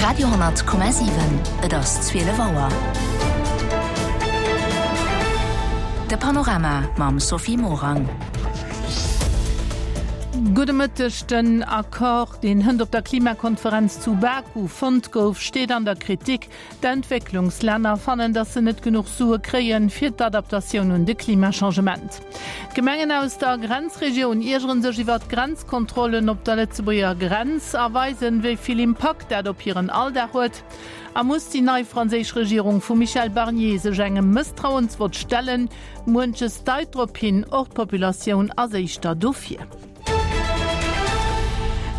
Radio,7 Et ass 12 Auer. De Panorama mam Sophie Morang. Gudde Mëtteg. Den Accord, deen hënt op der Klimakonferenz zu Baku fonnt gouf, steet an der Kritik. D'Entwécklungslänner fannen, datt se net genuch Sue kréien, fir d'Adaptatioun un de Klimachangement. D'Gemengen aus der Grenzregioun iergere sech iwwer d'Grenzkontrollen op der Lëtzebuerger Grenz a weisen, wéi vill Impakt dat op hiren Alldag huet. A muss déi nei franséisch Regierung vum Michel Barnier sech engem Mësstrauensvott stellen? Muenches deit drop hin, och d'Populatioun ass éischter dofir.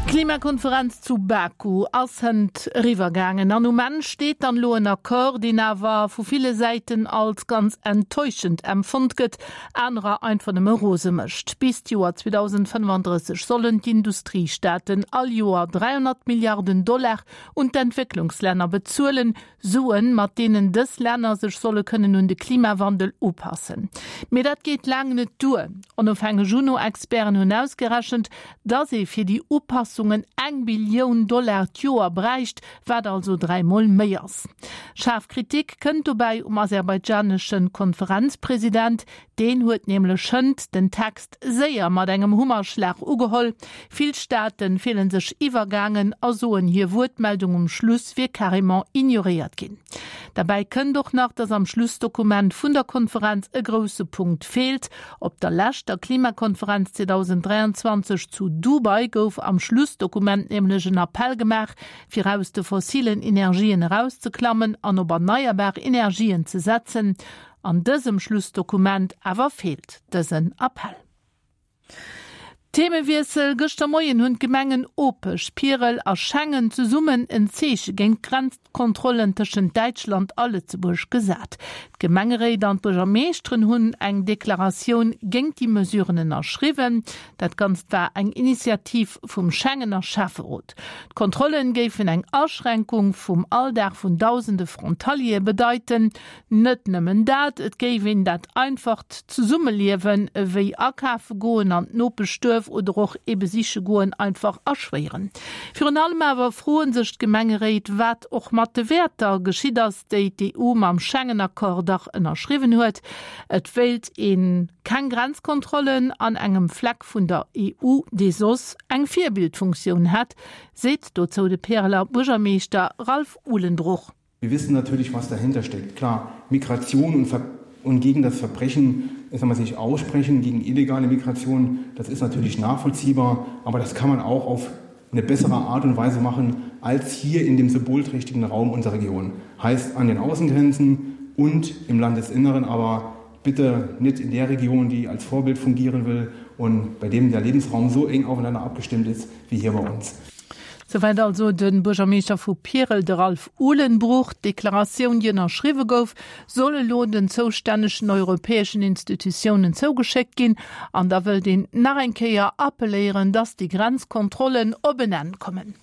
D'Klimakonferenz zu Baku ass hënt eriwwer gaangen an um Enn steet dann elo en Accord, deen awer vu ville Säiten als ganz enttäuschend empfonnt gëtt, anerer einfach nëmme rose mécht. Bis d'Joer 2035 sollen d'Industriestaaten all Joer 300 Milliarden Dollar un d'Entwécklungslänner bezuelen, Suen, mat deenen dës Länner sech solle kënnen un de Klimawandel upassen. Mee dat geet laang net duer. Onofhängeg UNO-Experten hunn ausgerechent, dass ee fir déi Upassungen eng Billioun Dollar d'Joer bräicht, wat also dräimol méi ass. Schaarf Kritik kënnt dobäi um aserbaidjanesche Konferenzpresident. Deen huet nämlech hënt den Text séier mat engem Hummerschlag ugeholl. Vill Staate fillen sech iwwergaangen a soen, hir Wuertmeldung um Schluss wier carrément ignoréiert ginn. Derbäi kënnt och nach, datt am Schlussdokument vun der Konferenz e grousse Punkt feelt. Op der leschter Klimakonferenz 2023 zu Dubai gouf am Schlussdokument nämlech en Appell gemaach, fir aus de fossilen Energien erauszeklammen an op erneierbar Energien ze setzen. An dësem Schlussdokument awer feelt dësen Appell. Themewiessel, Gëschter Moien hunn d'Gemengen Opech, Pierel a Schengen zesummen en Zeeche géint d'Grenzkontrollen tëschent Däitschland a Lëtzebuerg gesat. D'Gemengeréit an d'Buergermeeschteren hunn eng Deklaratioun géint déi Mesuren ënnerschriwwen. Dat Ganzt war eng Initiativ vum Schengener Schäfferot. D'Kontrollen géifen eng Aschränkung vum Alldag vun dausende Frontaliere bedeiten. Net nëmmen dat, et géif een dat einfacht Zesummeliewen, ewéi akafe goen, an d'Nopeschduerf oder och ee besiche goen, einfach erschwéieren. Virun allem awer froe sech d'Gemengeréit, wat och mat de Wäerter geschitt ass, déi d'EU mam Schengen-Accord dach ënnerschriwwen huet. Et wéilt ee keng Grenzkontrollen an engem Fleck vun der EU, dee soss eng Virbildfunktioun hätt, seet dozou de Pereler Buergermeeschter Ralph Uhlenbruch. Wir wissen natürlich, was dahinter steckt. Klar, Migration und, Ver und gegen das Verbrechen ich sag mal, sich aussprechen, gegen illegale Migration, das ist natürlich nachvollziehbar, aber das kann man auch auf eine bessere Art und Weise machen als hier in dem symbolträchtigen Raum unserer Region. Heißt an den Außengrenzen und im Landesinneren, aber bitte nicht in der Region, die als Vorbild fungieren will und bei dem der Lebensraum so eng aufeinander abgestimmt ist wie hier bei uns. Souwäit also de Buergermeeschter vu Pierel, de Ralph Uhlenbruch. D'Deklaratioun, déi ënnerschriwwe gouf, soll elo den zoustännegen europäeschen Institutiounen zougeschéckt ginn. An da wëllt een nach eng Kéier appelléieren, datt déi Grenzkontrollen op en Enn kommen.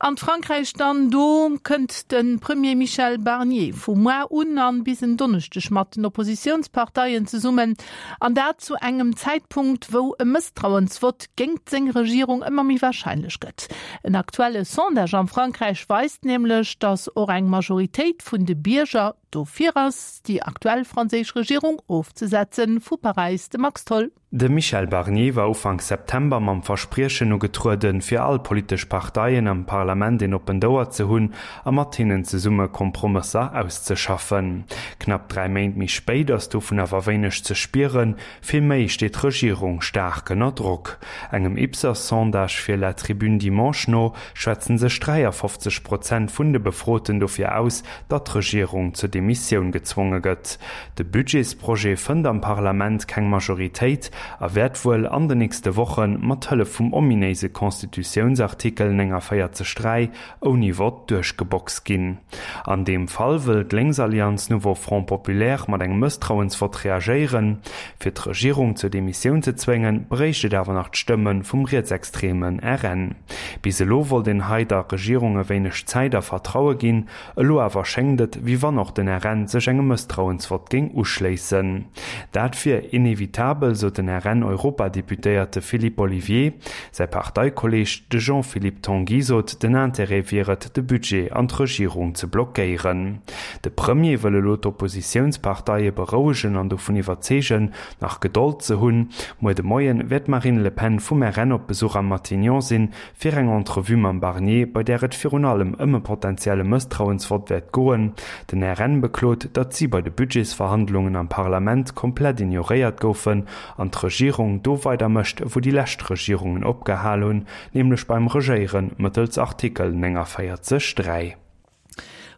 An Frankräich dann, do kënnt de Premier Michel Barnier vu muar un an bis en Donneschdeg mat den Oppositiounsparteien zesummen. An dat zu engem Zäitpunkt, wou e Mësstrauensvott géingt seng Regierung ëmmer méi warscheinlech gëtt. En aktuelle Sondage am Frankräich weist nämlech, datt och eng Majoritéit vun de Bierger dofir ass, déi aktuell franséisch Regierung ofzesetzen. Vu Paräis de Max Tholl. De Michel Barnier war Ufank September mam Verspriechen ugetrueden, fir all politesch Parteien am Parlament een oppent Ouer ze hunn a mat hinnen zesumme Kompromësser auszeschaffen. Knapp 3 Méint méi spéit ass dovun awer wéineg ze spieren, vill méi steet d'Regierung staark ënner Drock. Engem Ipsos-Sondage fir La Tribune Dimanche no schwätzen sech 53 Prozent vun de Befroten dofir aus, datt d'Regierung zur Demissioun gezwonge gëtt. De Budgetsprojet fënnt am Parlament keng Majoritéit a wäert wuel an den nächste Woche mat Hëllef vum ominéise Constitutiounsartikel 49 3 ouni Vott duerchgeboxt ginn. An deem Fall wëll d'Lénksallianz Nouveau Front Populaire mat engem Mësstrauensvott reagéieren. Fir d'Regierung zur Demissioun ze zwéngen, bréicht et awer nach d'Stëmme vum rietsextreme RN. Bis elo wollt een hei der Regierung e wéineg Zäit a Vertraue ginn, elo awer schéngt et, wéi wann och den. den RN sech engem Mësstrauensvott géing uschléissen. Dat wier inevitabel, sot den RN-Europadeputéierte Philippe Olivier. Säi Parteikolleeg, de Jean-Philippe Tanguy sot, den Interêt wier et, de Budget an d'Regierung ze blockéieren. De Premier wëll elo d'Oppositiounsparteie berouegen an dovun iwwerzeegen, nach Gedold ze hunn. Muer de Moien wäert d'Marine Le Pen vum RN op Besuch am Matignon sinn, fir eng Entrevue mam Barnier, bei där et virun allem ëm e potentielle Mësstrauensvott wäert goen. Den RN beklot, datt si bei de Budgetsverhandlungen am Parlament komplett ignoréiert goufen an d'Regierung do weider mécht, wou déi lescht Regierungen opgehal hunn, nämlech beim Regéiere mëttels Artikel 49, 3.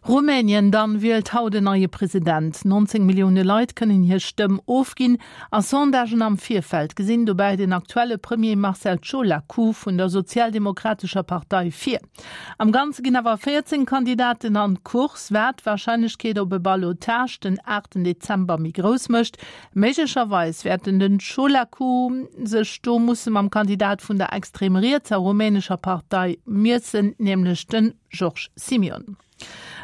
Rumänien dann wielt haut en neie President. 19 Millioune Leit kënnen hir Stëmm ofginn a Sondagen am Virfeld gesinn dobäi den aktuelle Premier Marcel Ciolacu vun der sozialdemokratescher Partei vir. Am Ganze ginn awer 14 Kandidaten an d'Course, wat d'Warscheinlechkeet op e Ballotage den 8 Dezember méi grouss mécht. Méiglecherweis wäerten den Ciolacu sech do musse mam Kandidat vun der extrem rietser rumänescher Partei miessen, nämlech den Georges Simion.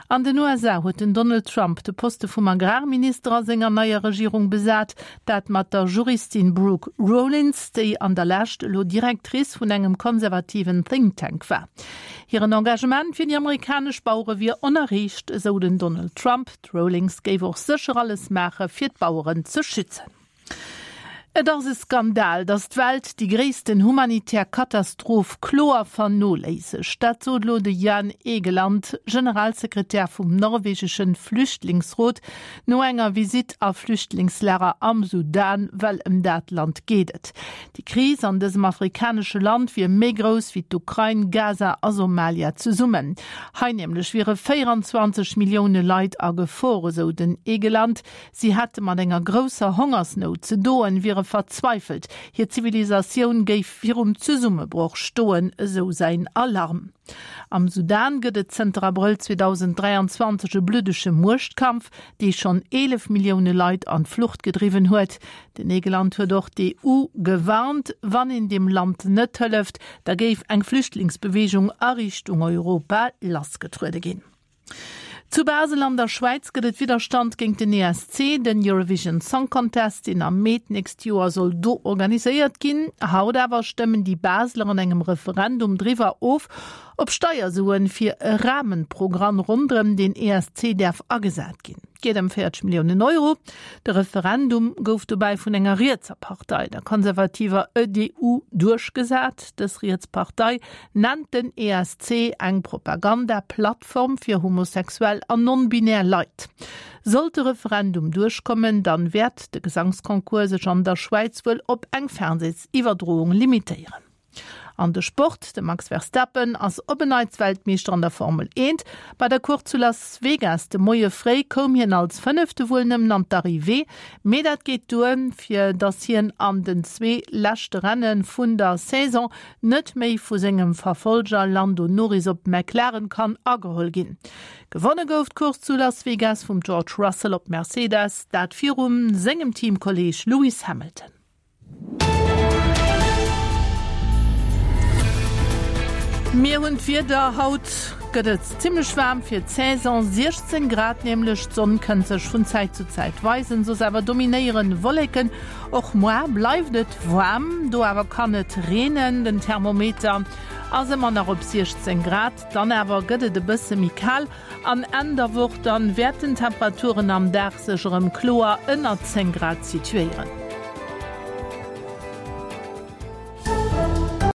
An den USA huet den Donald Trump de Poste vum Agrarminister a senger neier Regierung besat, dat mat der Juristin Brooke Rollins, déi an der Lescht elo Directrice vun engem konservativen Think Tank war. Hiren Engagement fir déi amerikanesch Bauere wier onerreecht, esou den Donald Trump. D'Rowlings géif och sécher alles maache fir d'Baueren ze schützen. Et ass e Skandal, datt d'Welt déi gréissten humanitär Katastroph kloer vernoléissegt. Dat sot elo de Jan Egeland, Generalsekretär vum norwegeschen Flüchtlingsrot, no enger Visitt a Flüchtlingslager am Sudan, well ëm dat Land geet et. Déi Kris an dësem afrikanesche Land wier méi grouss wéi d'Ukrain, Gaza a Somalia zesummen. Hei nämlech wiere 24 Millioune Leit a Gefor, esou den Egeland. Si hätte mat enger grousser Hongersnout ze doen, wiere verzweifelt, hir Zivilisatioun géif virum Zesummebroch stoen, esou säin Alarm. Am Sudan gëtt et zënter Abrëll 2023 e bluddege Muechtkampf, dee schonn 11 Millioune Leit an d'Flucht gedriwwen huet. Den Egeland huet och d'EU gewarnt, wann een dem Land net hëlleft, da géif eng Flüchtlingsbeweegung a Richtung Europa lassgetruede ginn. Zu Basel an der Schwäiz gëtt et Widderstand géint den ESC, den Eurovision Song Contest, deen am Mee d'nächst Joer soll do organiséiert ginn. Haut awer stëmmen déi Baseler an engem Referendum driwwer of, ob Steiersuen fir e Rahmenprogramm ronderëm den ESC däerf agesat ginn. Et geet ëm 40 Milliounen Euro. De Referendum gouf dobäi vun enger rietser Partei, der konservativer EDU, duerchgesat. Dës riets Partei nennt den ESC eng Propaganda-Plattform fir homosexuell an non-binär Leit. Sollt de Referendum duerchkommen, dann wäert de Gesangsconcours sech an der Schwäiz wuel op eng Fernsehsiwwerdroung limitéieren. An de Sport, De Max Verstappen ass op en Neits Weltmeeschter an der Formel 1. Bei der Course zu Las Vegas de Moie fréi koum hien als Fënnefte wuel nëmmen an d'Arrivée, mee dat geet duer, fir datt hien an den zwee leschte Renne vun der Saison net méi vu sengem Verfolger Lando Norris op McLaren kann ageholl ginn. Gewonne gouf d'Course zu Las Vegas vum George Russell op Mercedes, dat virum sengem Teamkolleeg Lewis Hamilton. Mir hunn d'Wieder, Haut gëtt et zimmlech waarm fir d'Saison, 16 Grad nämlech. D'Sonn kënnt sech vun Zäit zu Zäit weisen, soss awer dominéieren Wolleken. Och moar bleift et waarm, do awer kann et reenen. Den Thermometer ass ëmmer nach op 16 Grad, dann awer gëtt et e bësse méi kal an Enn der Woch dann wäerten d'Temperaturen am Dag sech erëm kloer ënner 10 Grad situéieren.